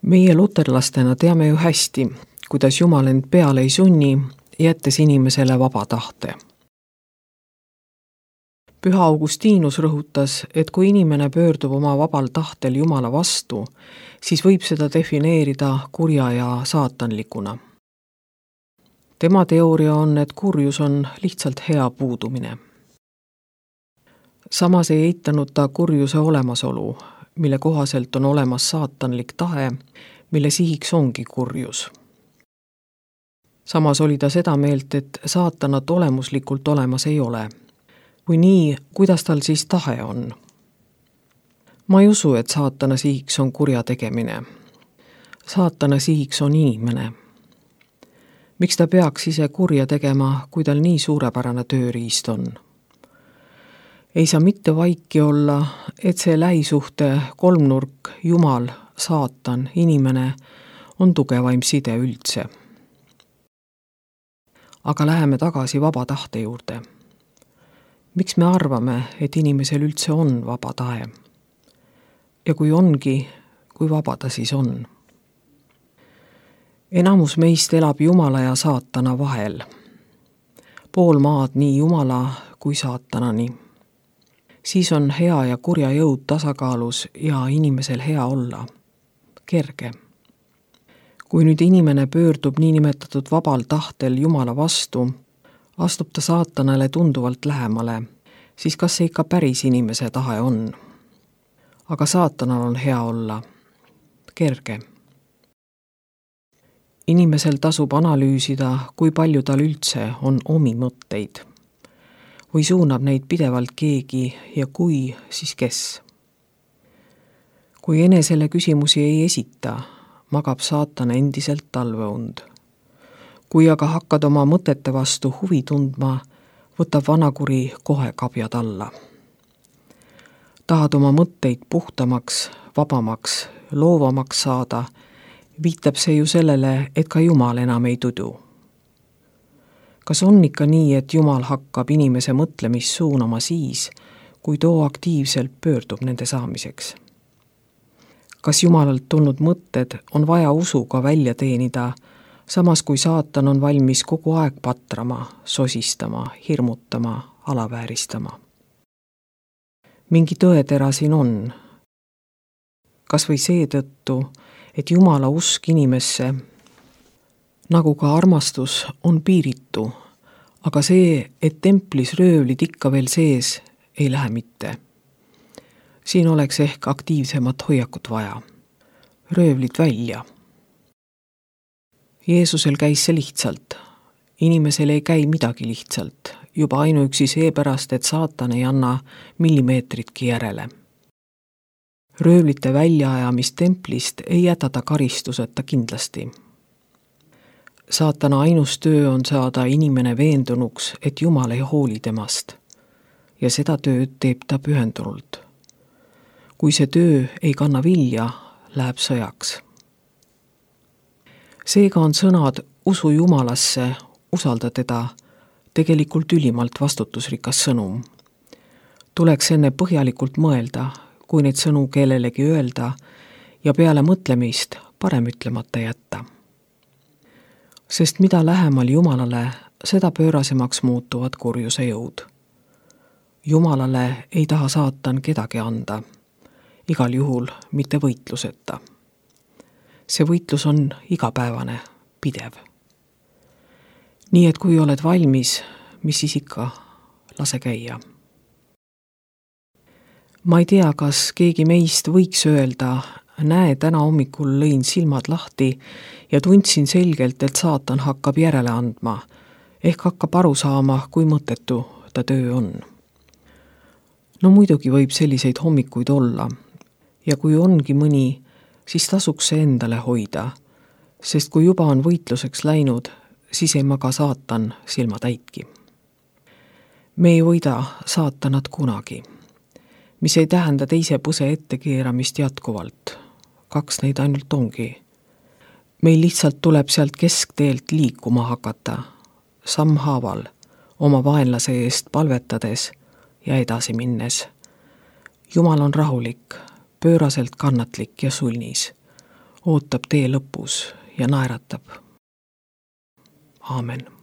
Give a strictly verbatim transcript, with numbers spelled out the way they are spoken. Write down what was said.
Meie luterlastena teame ju hästi, kuidas Jumal end peale ei sunni, jättes inimesele vaba tahte. Püha Augustinus rõhutas, et kui inimene pöördub oma vabal tahtel Jumala vastu, siis võib seda defineerida kurja ja saatanlikuna. Tema teooria on, et kurjus on lihtsalt hea puudumine. Samas ei eitanud ta kurjuse olemasolu, mille kohaselt on olemas saatanlik tahe, mille sihiks ongi kurjus. Samas oli ta seda meelt, et saatanat olemuslikult olemas ei ole. Kui nii, kuidas tal siis tahe on? Ma ei usu, et saatana sihiks on kurja tegemine. Saatana sihiks on inimene. Miks ta peaks ise kurja tegema, kui tal nii suurepärane tööriist on? Ei saa mitte vaiki olla, et see lähisuhte kolmnurk, Jumal, saatan, inimene on tugevaim side üldse. Aga läheme tagasi vaba tahte juurde. Miks me arvame, et inimesel üldse on vaba tahe? Ja kui ongi, kui vaba ta siis on? Enamus meist elab Jumala ja saatana vahel. Pool maad nii Jumala kui saatanani. Siis on hea ja kurja jõud tasakaalus ja inimesel hea olla. Kerge. Kui nüüd inimene pöördub niinimetatud vabal tahtel Jumala vastu, astub ta saatanale tunduvalt lähemale, siis kas see ikka päris inimese tahe on? Aga saatanal on hea olla. Kerge. Inimesel tasub analüüsida, kui palju tal üldse on omi mõtteid. Või suunab neid pidevalt keegi ja kui, siis kes. Kui enesele küsimusi ei esita, magab saatan endiselt talveund. Kui aga hakkad oma mõtete vastu huvi tundma, võtab vanakuri kohe kabjad alla. Tahad oma mõtteid puhtamaks, vabamaks, loovamaks saada, viitab see ju sellele, et ka Jumal enam ei tudu. Kas on ikka nii, et Jumal hakkab inimese mõtlemist suunama siis, kui too aktiivselt pöördub nende saamiseks? Kas Jumalalt tulnud mõtted on vaja usuga välja teenida, samas kui saatan on valmis kogu aeg patrama, sosistama, hirmutama, alavääristama? Mingi tõetera siin on. Kas või seetõttu, et Jumala usk inimesse, nagu ka armastus, on piiritu, aga see, et templis röövlid ikka veel sees, ei lähe mitte. Siin oleks ehk aktiivsemat hoiakut vaja. Röövlid välja. Jeesusel käis see lihtsalt. Inimesel ei käi midagi lihtsalt, juba ainuüksi seepärast, et saatan ei anna millimeetritki järele. Röövlite väljaajamist templist ei jäta ta karistuseta kindlasti. Saatana ainus töö on saada inimene veendunuks, et Jumal ei hooli temast. Ja seda tööd teeb ta pühendunult. Kui see töö ei kanna vilja, läheb sõjaks. Seega on sõnad usu Jumalasse, usalda teda, tegelikult ülimalt vastutusrikas sõnum. Tuleks enne põhjalikult mõelda, kui neid sõnu kellelegi öelda ja peale mõtlemist parem ütlemata jätta. Sest mida lähemal Jumalale, seda pöörasemaks muutuvad kurjuse jõud. Jumalale ei taha saatan kedagi anda, igal juhul mitte võitluseta. See võitlus on igapäevane, pidev. Nii et kui oled valmis, mis siis ikka, lase käia. Ma ei tea, kas keegi meist võiks öelda, näe, täna hommikul lõin silmad lahti ja tundsin selgelt, et saatan hakkab järele andma, ehk hakkab aru saama, kui mõttetu ta töö on. No muidugi võib selliseid hommikuid olla ja kui ongi mõni, siis tasuks see endale hoida, sest kui juba on võitluseks läinud, siis ei maga saatan silma täitki. Me ei võida saatanat kunagi, mis ei tähenda teise põse ettekeeramist jätkuvalt. Kaks neid ainult ongi. Meil lihtsalt tuleb sealt keskteelt liikuma hakata, sammhaaval, oma vaenlase eest palvetades ja edasi minnes. Jumal on rahulik, pööraselt kannatlik ja sulnis. ootab tee lõpus ja naeratab. Aamen.